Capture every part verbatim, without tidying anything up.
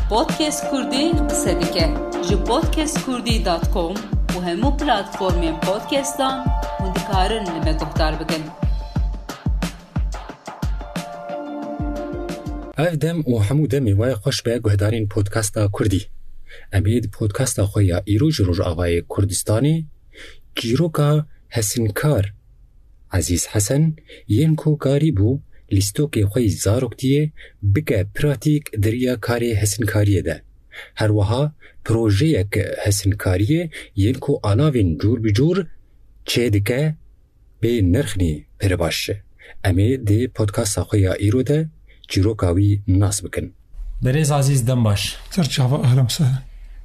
Podcast Kurdî qise dike. Ji podcast kurdî dot com û hemû platformên podcastan hûn dikarin li me guhdar bikin. Ev dem û hemû demê we xweş be guhdarên podcasta Kurdî. Em ê di podcasta xwe ya îro ji Rojavayê Kurdistanê çîroka hesinkar Ezîz Hesen yên ku karîbû lîstokê xwe yî zaroktiyê bike pratîk di riya karê hesinkariyê de. Her wiha projeyek hesinkariyê yên ku alavên cûr bi cûr çêdike bê nirxinî pir baş. Em ê di podcasta xwe ya îro de çîroka wî nas bikin. Berêz Azîz, dem baş. Ser çava, ehlen sehlen.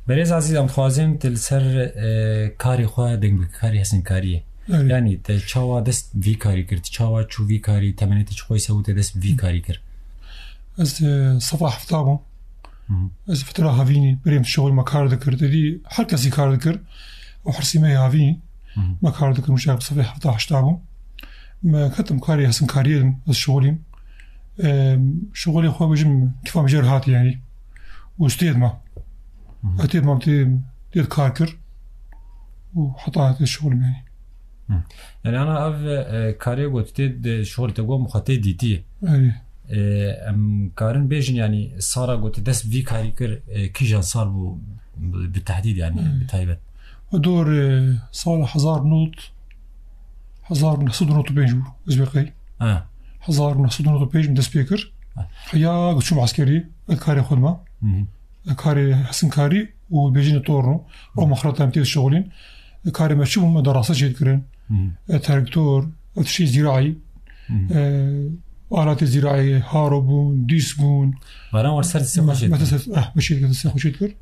Berêz Azîz, em dixwazin tu li ser, e, karê xwe deng bike, karê hesinkariyê. Evet. Yanî te çawa dest vî karî kir, tu çawa çû vî karî, temenê te çi xweyse û te dest vî karî kir? Ez, e, sefa hefta bûm. Hı hı. Ez fitra havînî, berê min şixul me kar dikir. Te dî her kesî kar dikir. Û hirsî me yê havînî. Hı hı. Me kar dikir, mişa bi sefê hefta heşta bûm. Me ketim karê hesinkariyê dim, ez şixulîm. Em, şixulê xwe bêjim, kîfa min jê re hat yanî. Û stêd ma. Hı hı. Ez têd mam tê, têd kar kir. Û heta tê şixulim yanî. Hı. Yani ana ev, e, karê got tê de şixul te got muxatê dîtî. Erê. E, em karin bêjin yani sara got dest vî karî kir, e, kîjan sal bû bi, bi tehdîd yani, Hı. bi taybet? Dor, e, sal hezar not, hezar neh sed û not û pênc bû, ez bê qey. Ha. Hezar neh sed û not û pênc min dest pê kir. Ha. Heya ku çûm eskerî, ez karê xwe dima. Hı hı. Karê hesinkarî û bêjinê torno. Ew mexrata em tê dişixulîn. Karê me çi bû, me derasa çê dikirin. Hı hı. E, traktor, ev tiştê zîraî. Hı hı. E, alatê zîraî, haro bûn, dîs bûn. Baran war ser distê xwe çê dikirin. Me ser, eh, me çê dikir, distê xwe çê dikir.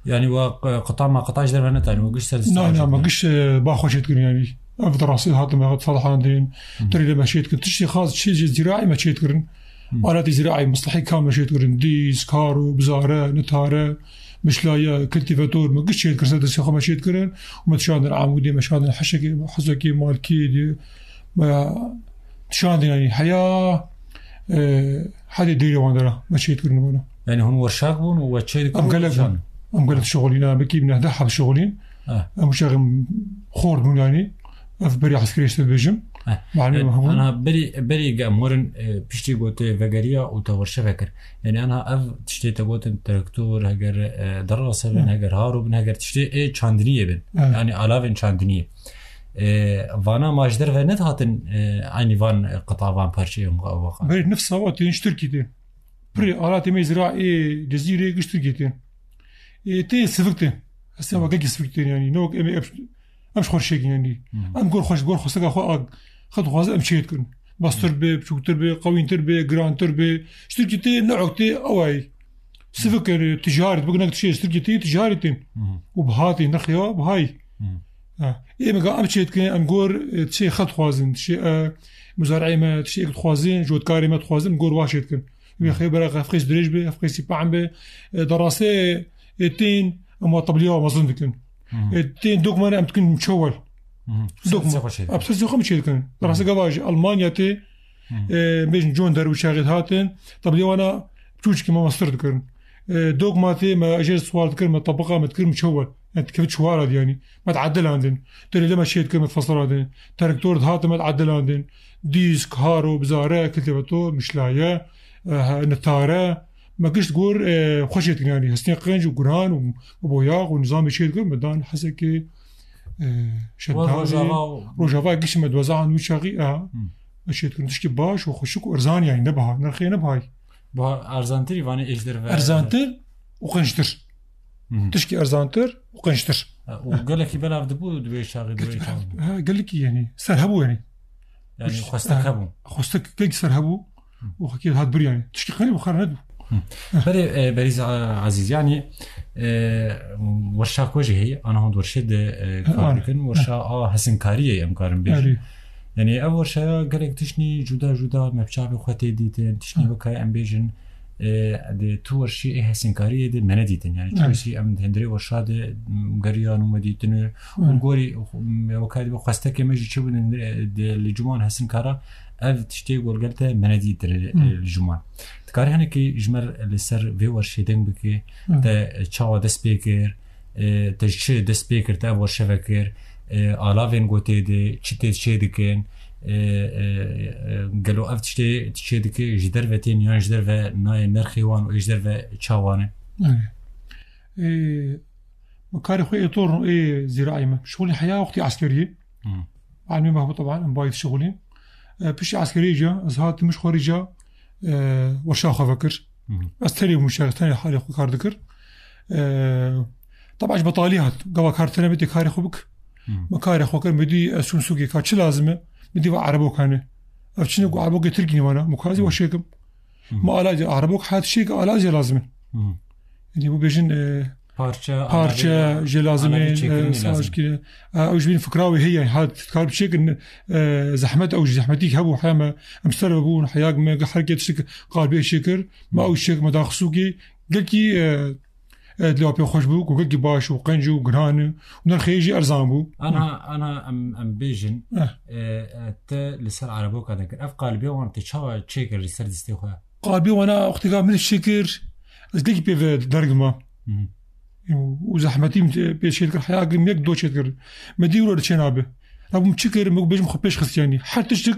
Yani wa, e, qita ma qita ji derve netanî, wa giş ser distê xwe çê dikirin. Na, na, me giş, e, ba xwe çê dikirin yani. Ev derasê hatin me, me difelhandin, Hı. tirê de me çê dikirin. Tiştê xas, tiştê zîraî me çê dikirin. Hı. Aletê zîraî, mislehî kam me çê dikirin. Dîs, karo, bizare, nitare, mişlaye, kiltîvator, me giş çê dikirin, ser destê xwe me çê dikirin. Û me dişandin Amûdê, me şandin Heşekê, Hezekê, Malkiyê de. Me dişandin, yani, heya, e, hedê dêrê wan de re me çê dikirin wana. Yani hûn werşak bûn û we çê dikirin Em û gelek bûn. dişandin? Em gelek şixulîn, em wekî neh deh heb şixulîn. Eh. Em uşaxim xort bûn yani. Ev berî eskerê işte dibêjim. Eh. Malum Yani, hemû. ana berî, berî ge em werin, e, piştî gotê vegeriya û te werşe vekir. Yani ana ev tiştê te gotin traktor, heger, e, derase bin, Eh. heger haro bin, heger tiştê ê çandiniyê bin. Eh. Yani alavên çandiniyê. E, vana ma ji derve nedihatin, e, aynî van, e, qita van parçeyên wa-, waka? Berî nifsa wa tên ji Tirkî tên. Pirê alatê me zira ê Cezîrê giş Tirkî tên. Ê tê sivik tên. Hestê wa gelkî sivik tên yani. Ne wek em ê em, em ji xwe şêkin yani. Hı. Em gor xwe, gor xwesteka xwe a, xwe dixwaze em çê dikirin. Bastir be, biçûktir be, qewîntir be, girantir be. Ji Tirkî tê, ne wek tê, ew ay. Sivik yani, ticaret, bik nek tişê ji Tirkî tê, ticaret tên. Hı. Û biha tê, nexya bihayî. Hı. Ha. Ê me ga em çê dikin, em gor, e, tişê xwe dixwazin, tişê, e, muzareyê me, tişê ek dixwazin, jotkarê me dixwazin, em gor wa çê dikin. Wê xê bera ev qês dirêj be, ev qêsî pahm be, e, derasê, e, tên, em wa tebliya wa mezin dikin. Hı. E, tên dokmane em dikin çewel. Hı. Dokma. Ser destê xwe çê dikin. Em ser destê xwe mi çê dikin? Derasê gava jî Almanya tê, Hı. e, bêjin John Deere û çaxê hatin, tebliya wana çûçikî me mestir dikirin. E, dokma tê me jê sual dikirin, me tebiqa me dikirin çewel. Yani dikevit çewala de yani. Me diedilandin. Derê de me çê dikirin, me difaselandin. Traktor dihatin, me diedilandin. Dîsk, haro, bizare, kiltîvator, mişlaye, e, nitare. Me gişt gor, e, xwe çê dikirin yani. Hestên qenc û guran û boyax û nizamê çê dikirin, me dan Hesekê, e, Şeddarê. Rojava û Rojava gişt me dweza an wî çaxî, e, Hı. me çê dikirin. Tişkî baş û xweşik û erzan yani, ne biha, nirxê ne bihayî. Biha erzantirî vanê ê ji derve. Erzantir û qençtir. Hı hı. Tişkî erzantir û qençtir. Ha, û gelekî belav dibû di wê çaxê, di wê Gelekî çaxê. Ha, gelekî yani. Ser hebû yani. Yani Kuş-, xwestek ha, hebû. Xwestek gelekî ser hebû. Hı. Û xwekî hat bir yani. Tişkî qenî bixar nedibû. Hı. Berê, e, Berîz A-, Azîz, yani, e, werşa ku jî heye, ana hûn di werşê de, e, Ha, kar ana. dikin, werşa Ha. a hesinkariyê em karin bêjin. Erê. Yani ev werşaya gelek tiştî cuda cuda me bi çavê xwe tê dîtin, tiştî Hı. weke em bêjin, e, di tu werşî ê hesinkariyê de me nedîtin. Yani Hı. çiwsî em di hundirê werşa de, m, geriyan û me dîtin û Hı. û gorî, m, weke dibê xwestekê me jî çi bûn, e, di li cuman hesinkara Ev tiştê gorgel te menedîtir, e, li ji wan. Dikarî hinekî ji me li ser vê werşê deng bikî, te çawa dest pê kir, e, te ji çi dest pê kir, te ev werşe vekir, e, alavên gotê de çi tê çê dikin, e, e, e, gelo ev tiştê çê dike ji derve tên yan ji derve nayê nerxê wan û ê ji derve çawa ne? Ê, me karê xwe ê tor ê zîraî me. Şixulî heya wextî eskeriyê. Hı. Almê me hebû teban, em bayî şixulî. E, piştî eskeriyê ca, ez hatim ji xwe rîca, e, weşa xwe vekir. Hı hı. Ez tenê bûm şer, tenê halê xwe kar dikir. E, teba ji betalî hat. Gava kar tene bê tê karê xwe bik. Hı. Me karê xwe kir, me dî ez çûm sûkê ka çi lazim e? Me dî va erebokane. Ev çi ne ku erebokê tirkî ne vana, me ku ez ê weşê kim. Hı. Me ala, erebok hat şêk ala jê lazim e. Hı. Yani bu bêjin, e, Parça, parça alavê, jê lazim e, alavê çêkirinê e, lazim. Saz ki, e, ew ji bin fikra wê heye, ha, kar bi çêkin, e, zehmet, ew jî zehmetî hebû, heya me, em ser ve bûn, heya me, herkê tiştik qalbê çêkir, me ew çêk, me da xisûkê, gelkî, e, e, dilê wê pê xweş bû, ku gelkî baş û qenc û giran û nirxê jî erzan bû. Ana, ana em, em bêjin, Eh. e, e, te li ser ereboka deng kir. Ev qalbê wan te çawa çêkir li ser distê xwe? Qalbê wana wextê ka min çêkir, ez gelkî pê ve derg ma. Hı hı. Û, û zehmetî min pê çêdikir, heya min yek do çêdikir. Me dî wilo çê nabe. Rabûm çi kir, me bêjim xwe pêş xist yanî. Her tiştik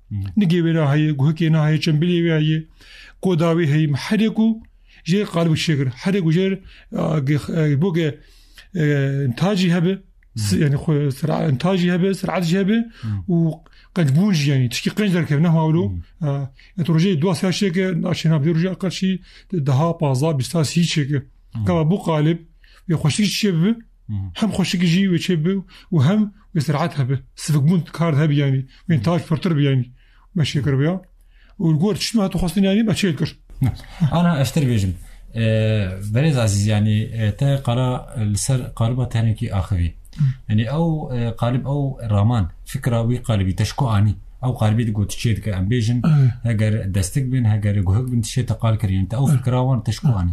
Hı. Nigê wê re heye, guhikê ne heye, çembilê wê heye, koda wê heye. Me herê ku jê qalib çêkir. Herê ku jê, e, ge-, e, bo ge, e, intacî hebe, si-, Hı. yani xwe sera-, intacî hebe, ser'et jî hebe Hı. û qencbûn jî yani. Tişkî qenc derkeve, ne hawlo. Hı. E, et rojê dua sera çêke, naşê nabdê roja aqal şî daha paza, bîsta sî çêke. Hı. Gava bu qalib, wê xweşik çê bibe, Hı. hem xweşik jî wê çê bibe û hem wê ser'et hebe. Sivikbûn kar hebe yani. Wê intaj pirtir be yani. Me çê kiribe ya. Û li gor tişt me hatu xwestin yani me çê kir. Ana ez te bêjim. E, Berêz Azîz, yani, e, te qala li ser qaliba te hinekî axivî. Hı. Yani ew, e, qalib ew raman, fikra wî qalibî te ji ku anî? Ew qalibî di got çê dike, em bêjin, Evet. heger destik bin, heger guhik bin, tişê te qal kir, yani te ew Evet. fikra wan te ji ku Evet. anî?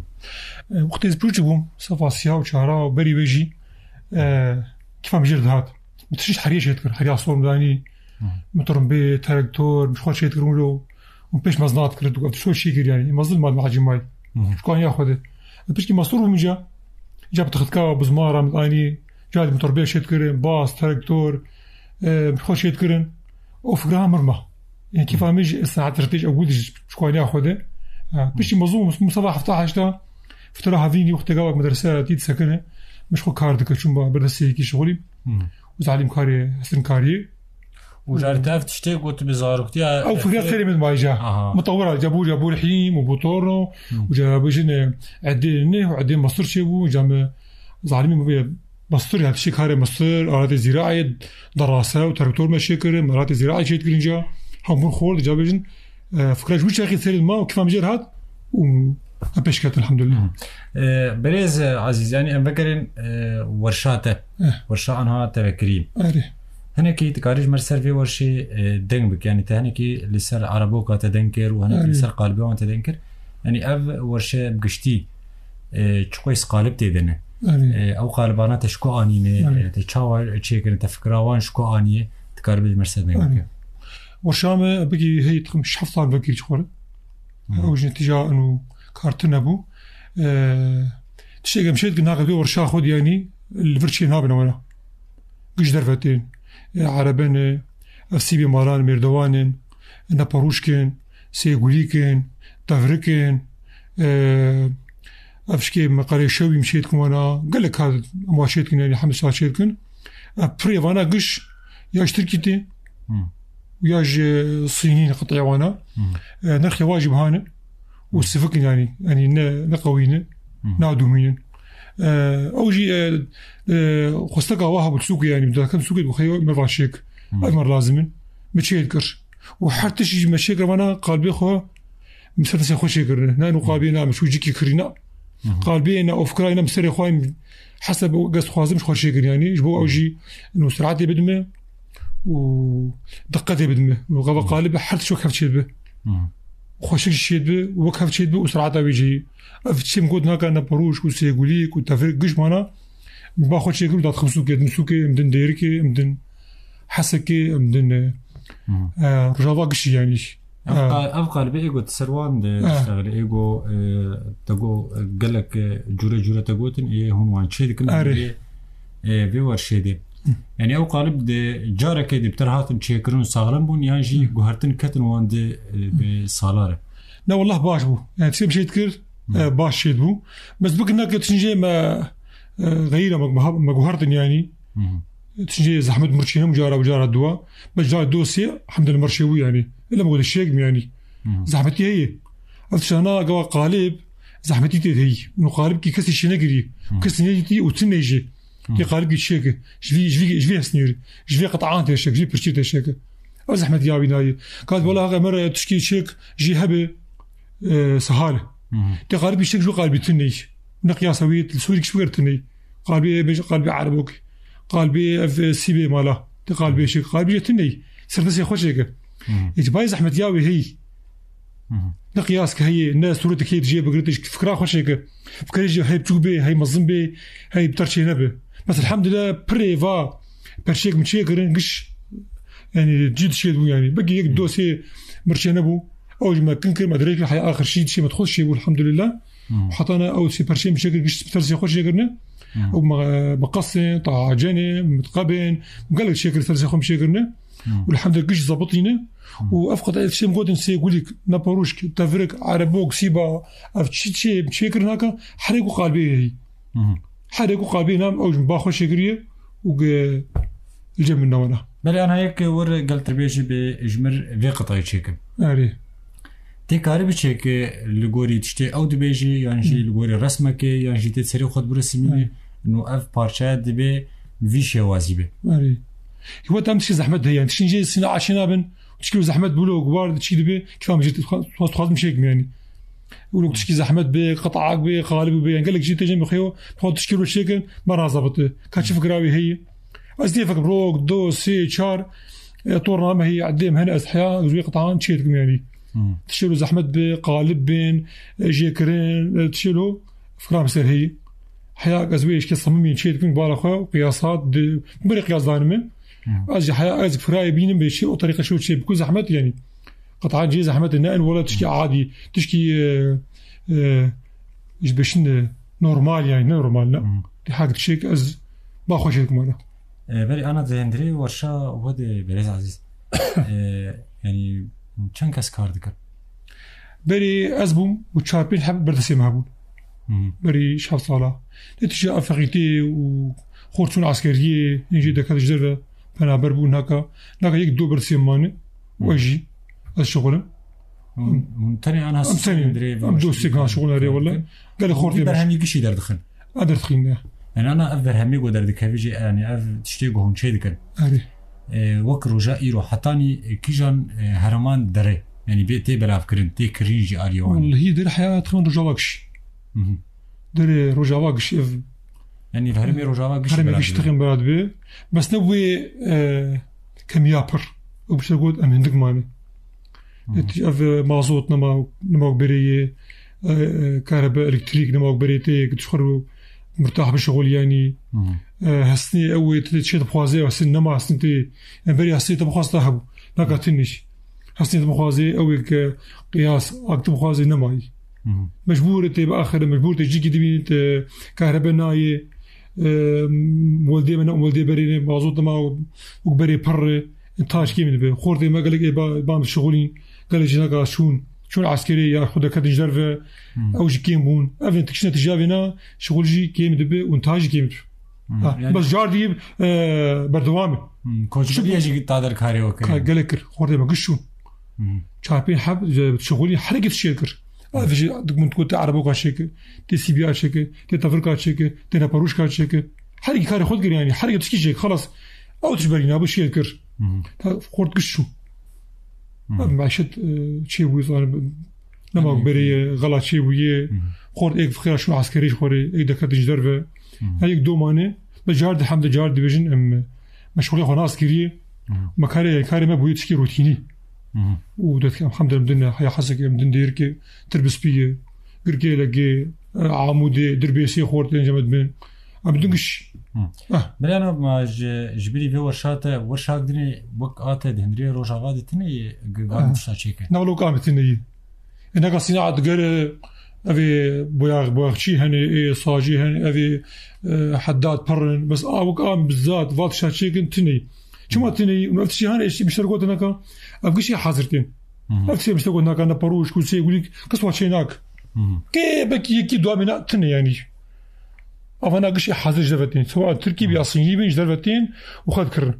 E, wextê ez piçûk bûm, sefa siya û çara û berî wê jî, e, kifa min jê dihat. Min tişt heriyê çê dikir, heriya sor min danî, Hı. min tirimbê, traktor, min xwe çê dikir wilo, û pêş mezin hat kir, dû, ev tişt çê kir yani, mezin mal macî may. Hı. Ji ku aniya xwe de. Piştî mestur bûm ca, ca bi tixitka, bi zimara min anî, ca di min tirimbê çê dikirin, bas, traktor, e, min xwe çê dikirin. O fikra mir ma. Yani kifa min ji saet rtêj ew gûdî ji ku aniya xwe de. Ha, piştî mezin bûm, min seba hefta heşta, Fitira hevînî wextê gava medrese tî disekine, min ji xwe kar dike, çûn ba berdestê yekî şixulî. Hmm. Û zalim karê, hestin kariyê. Û carê te ev tiştê got bi zaroktiya Ew fikret xêrê min mayî ca. Aha. Mitewira, ca bû, ca bû rihîm û bû torno, Hmm. û ca bêjin, e, edê ne, û edê mestir çê bû, ca me zalimî min bê mestir, ya tiştê karê mestir, aletê zîraê, derase û traktor me çê kirin, aletê zîraê çê dikirin ca, hembûn xort, ca bêjin, E, fikra ji wî çaxê serê ma û kifa min jê re hat û em pêş ketin, elhamdulillah. Hı. E, Berêz, e, Azîz, yani em vegerin, e, werşa te. Eh. Werşa anha te vekirî. Erê. Hinekî dikarî ji me ser vê werşê, e, deng bik. Yani te hinekî li ser Ereboka te deng kir û hinekî li Erê. ser qalibê wan te deng kir. Yani ev werşe bi giştî, e, çiqoyî qalib tê de ne. Erê. E, ew qalibana te ji ku anîne, Erê. e, te çawa çêkirin, te fikra wan ji ku aniye, dikarî bi ji me ser deng Erê. bike. Werşa me bigî hey dixim şev sal vekirî ji xwe re. Hı. Ew ji netîca û kar tune bû. E, tiştek em şêt naqe vê werşa xwe diyanî li vir çê nabin were. Giş derve tên. E, erebe ne, ev sîbê malan, mêrdewan in, neperûşk in, sêgulîk in, tevrik in, e, ev şikê me qerê şewî em şêt kin wena, gelek kar em wa şêt kin, yani hemî saet şêt kin. Ev pirê vana giş ya ji Tirkî tê, Hmm. û ya ji Sînî qit'ê wana. Hmm. E, nirxê wa jî biha ne. Û Hmm. sivik in yani, yani ne, ne qewî ne, Hmm. nadûmînin. E, ew jî, e, e, xwesteka wa hebû sûkê yani, dakem sûkê dixê me va şêk. Hmm. Ev me lazim in. Me çê dikir. Û her tişt jî me çê kir vana qalbê xwe, min ser destê xwe çêkirine. Na nû qabê na min çû cikî kirîna. Hı hı. Qalbê na ofkirayê na min serê xwe heseb û gest xwazim ji xwe çêkir yani. Ji bo ew jî nû siratê bidime û diqetê bidime. Û gava Hı. qalib her tişt wek hev çêdibe. Hı. Xweşik jî çêdibe û wek hev çêdibe û sirata wê jî. Ev çêm got naka ne perûşk û sêgulîk û tevrik giş mana. Min ba xwe çêkir û da dixim sûkê, din sûkê, em din dêrikê, em din hesekê, em din, e, Hı. E, Rojava gişî yanî. Ev E, qa-, ev qalibê êgo di ser wan de E. diştexile, êgo, e, te go, e, gelek, e, cure cure te gotin, ê hûn wan çê dikin, Erê. ê, ê, vê wer şêdê. Hı. Yani ew qalib de carekê de bi ter hatin çêkirin û saxlem bûn, yan jî Hı. guhertin ketin wan de, e, bi salar e? Ne, wallah baş bû. Yani tiştê bi şêd kir, Hı. e, baş şêd bû. Bes bikin nake tiştê me, e, xeyîra me, me, me guhertin yani. Hı hı. Tiştê zehmet mirçî hem cara, cara dua. Bes cara dosê, hemdel mirçê bû yani. Öyle mi gote şêk mi yani? Hı hı. Zehmetî heye. Ev tiştana gava qalib, zehmetî tê heye. No qalib ki kesî şêne girî. Hı. Kesî nedîtî û tune jî. Hı. Tê qalib ki çêke. Ji vî, ji vî, ji vî hesnîr. Ji vî qetan tê şek, ji vî pirçî tê şek. Ev zehmet ya wî nayê. Kat wala heq emir tişkî çêk jî hebe, e, sehal. Hı hı. Tê qalibî çêk ji wî qalibî tune. Ne qiyasa wî, li Sûrî kişt wî tune. Qalbê bêje qalbê erebok. Qalbê ev, e, sîbê mala. Tê qalbê çêk. Qalbî jê tune. Serdestê xwe çêke. Hı hı. Ê, bayê zehmet ya wê hey. Hı hı. Ne qiyas ki heye, ne sûretek heye dijê bigirî, fikra xwe çêke. Fikirê jî hey biçûk bê, hey mezin bê, hey bi ter çê nebe. Bes elhamdülillah pirê va perçêk min çêkirin, giş, yani cî dişê bû yani. Belkî yek Hı. dosê mirçê nebû. Ew jî me kin kir, me dirêj kir, heya axir şî dişê me xwe çêbû elhamdülillah. Hı. Heta ne ew sê perçê min çêkir, giş bi tersê xwe çêkirine. Hı. Ew me, meqesên, tacenê, mitqebên, gelek çêkir tersê xwe min çêkirine. Hı. Û elhamdülillah giş zabitîne. Hı. Û ev qet ev tiştê min gotin sê gulîk, neparûşk, tevrik, erebok, sîba, ev çi çê, çêkirin haka, herê ku qalbê heyî. Hı hı. Herê ku qalbê nam, ew ji min ba xwe çêkiriye û ge li cem min nawana. Belê ana yek wir gel tirbêjî bê ji mir vê qetayê çêkim. Erê. Tê karî biçêke li gorî tiştê ew dibêjî, yan jî Hı. li gorî resmekê, yan jî tê serê xwe dibirisîmînî. Erê. No ev parçeya dibê vî şêwazî be. Erê. Wet em tiştê zehmet heye. Tiştên jê sîna aşê nabin. Tişkî zehmet bûlo, gubar çî dibe. Kifam jî dixwa-, dixwazim şêkim yani. Wilo tişkî zehmet be, qetak be, qalib be. Yani gelek jî têjin bixeyo. Xwe tişkî ro şêkin, me razabit. Ka çi fikra wî heye. Ez dê fikim rok, do, sê, çar, e, torna me heye, edê me hene ez heya, ez wê qetan çê dikim yani. Hmm. Tişkî ro zehmet be, qalib bin, e, jê kirin, e, tişkî ro fikra me ser heye. Heya ez wê işke samimî çê dikim, bala xwe, qiyasat, di, berê qiyas danime. Hmm. Ez jî heya ez firayê bînim bê çê, o tariqa şew çê, biku zehmet yani. Qetan cê zehmet ne en wala tişkî Hmm. adî, tişkî, e, e, ji beşin de normal yani, ne normal ne. Hmm. Di hak tişek ez ba xwe çê dikim wala. E, berê ana di hundirê werşa we de berêz Ezîz. E, yani çend kes kar dikin? Berê ez bûm û çar pênc heb berdestê me hebûn. Hı hı. Berî şev sala. Netîce ev feqîtî û xort çûn eskeriyê, hîn jî deke ji derve penaber bûn, naka, naka yek do berdestê mane û Hı. ez jî, ez şixulim. Hûn, hûn tenê an Em hesûsê tenê, dirê em dostê kan şixulin erê wele. Gelê xortê me. Berhemî gişî derdixin. A derdixîn ne. Yani ana ev berhemî go derdikevî jî, yani ev tiştê go hûn çê dikin. Erê. E, wek roja îro hetanî, e, kîjan, e, herêman dere? Yani bê tê belavkirin, tê kirîn jî aliyê wan. Wellehî der heya dixin Rojava Giş. Hı hı. Derê Rojava Giş ev Yani herêmê Rojava Giş herêmê belav Giş dibe. Dixin belav dibe. Bes ne wê, e, kemiya pir. Ew bişte got em hindik mane. Hı hı. Netî ev, e, mazot nema, nema berê ye, e, e, karebe, elektrîk nema berê tê, ki tu xwe mirtah bişixulî yani. Hı hı. E, hesnê ew ê tê çê dixwaze, hesnê nema hesnê tê. Em berî hesnê te bixwasta hebû. Naka Hı. tiniş. Hesnê te bixwaze, ew ê ke qiyas, ak te bixwaze nemayî. Hı hı. Mecbûr tê bi axire, mecbûr tê cîkî dibînî te kahrebe nayê. E, weldê me ne, weldê berê ne, mazot nema û berê pirre. Taş kêm dibe. Xortê me gelek ê ba, ban şixulîn, gelek jî naka şûn. Şûn eskerê ya xwe deketin ji derve, Hmm. ew jî kêm bûn. Ev ên tikişine tijavê na, şixul jî kêm dibe û taş jî kêm dibe. Hmm. Ha, Yani bes car dî, e, berdewam e. Hmm. Koçberiye jî ta der karê wekir. Ka gelek kir. Xortê me giş şûn. Hmm. Çar pênc heb, e, şixulî herkes şêr kir. Hmm. Ev jî dik min dikot tê ereboka çêke, tê sîbiya çêke, tê tevirka çêke, tê neparûşka çêke. Herkî karê xwe dikir yani. Herkî tişkî çêk. Xelas. Ew tişberî nabû şêr kir. Hmm. Ta xort giş şûn. Hmm. Ev meşet, e, çê bûye, zanî, nema Hı hı. berê ye, xela çê bûye. Hı hı. Xort êk fikira şûn eskerî ji xorê, êk deketin ji derve. Hı hı. Her yek domane, me car di hem de car dibêjin, em, me şixulê xwe nas kiriye. Hı hı. Me karê, karê me bûye tişkî rutînî. Hı hı. Û dotî em hem de em din, heya hesek em din dêrke, tir bi spî ye, girkê legê, e, amûdê, dirbêsê xortê, encame dibin. Em dû giş. Hı. Ah. Birêz Naz, ma ji, ji birî vê werşa te, werşak dinê wek a te di hundirê Rojava de tune ye, gi-, van Ah. tişta çêke? Ne wilo kam tune ye. E, neka sînaet gere, ev ê boyax-, boyaxçî hene, ê sacî hene, ev ê, e, heddad pir in. Bes a wek am bizzat, van tişta çêkin tune ye. Çima tune ye? Ev tiştî hene, eşî bişer gotin neka. Ev gişî hazir tên. Hı hı. Ev tiştî bişer gotin neka, ne parûş, kulsê, gulîk, kes wa çê nak. Hı hı. Kê belkî yekî dua mîna tune yani. Avana gişê hazir ji derve tên. Sewa Tirkî bî, Hı. Asîngî bî, ji derve tên û xwe dikirin.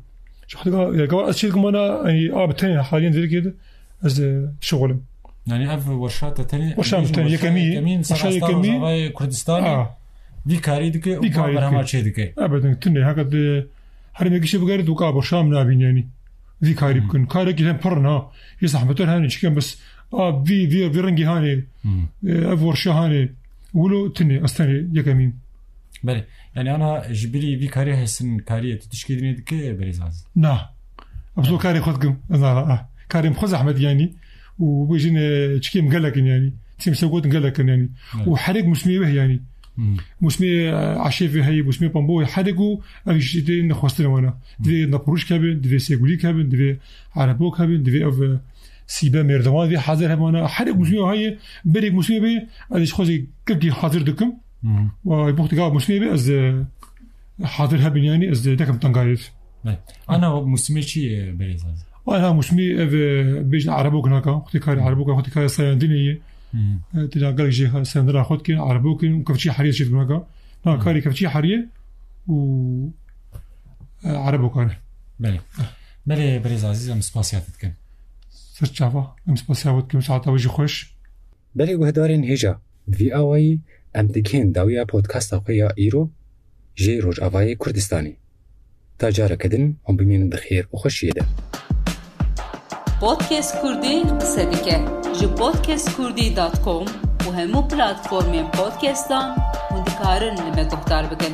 Ji xwe diga, ya, gava ez çê dikim wana, yani, a bi tenê haliyen zêrikê de ez, e, şixulim. Yani ev werşa te tenê, Werşa min bêjin tenê, werşa yekemî, yekemîn, ser werşa asta yekemî. Rojavayê Kurdistanê A. vî karî dike û Vî karî berhema dike. çê dike. Ebedin, tune, heka de herî me gişê bigerit û ka werşa min nabîn yani. Vî karî Hı. bikin. Karekî hem pir in ha. Yê zehmetir hene çikin bes. A, vî, vî, vî rengî hane. Hı. E, ev werşa hane. Wilo tune, ez tenê yekemîn. Belê. Yani ana ji birî vî karî hesin kariyê tu tişkî dinê dike berêz Aziz? Na. Ez o karê xwe dikim. Ez na, ah. Karê min xwe zehmet yani. Û bêjin, e, çikê min gelek in yani. Tîm se gotin gelek in yani. Evet. Û herek musmê weh yani. Hı. Musmê, e, eşêfê heye, musmê pambo heye. Herek û ev jî tê nexwestin wana. Hı. Divê nepiroşk hebe, divê sêgulîk hebe, divê erebok hebe, divê ev, e, sîbe mêrdewan divê hazir hebe wana. Herek musmê heye, berek musmê be, ez ji xwe zî kekî hazir dikim. Hı hı. Wa buxtika musmê be, ez, e, hazir hebin yani, ez, e, dekim tengarêt. Be. Ana musimê çi ye, berêz Aziz? Ana musimê ev, e, bêjin erebok naka, xwedî karê erebok, xwedî karê sayandinê ye. Hı hı. E, têna gelek jê sayandina xwe dikin, erebok in û kevçî heriyê çê dikin naka. Na, Hı. karê kevçî heriyê û, e, erebok e. Belê. Belê, berêz Aziz, em spasiya te dikin. Ser çava, em spasiya we dikin, saeta we jî xweş. Belê guhdarên hêja, bi vî awayî em digihên dawiya podcasta xwe ya îro jê Rojavayê Kurdistanê. Ta careke din hûn bimînin di xêr û xweşiyê de. Podcast Kurdî qise dike. Ji podcast kurdî dot com û hemû platformên podcastan hûn dikarin li me guhdar bikin.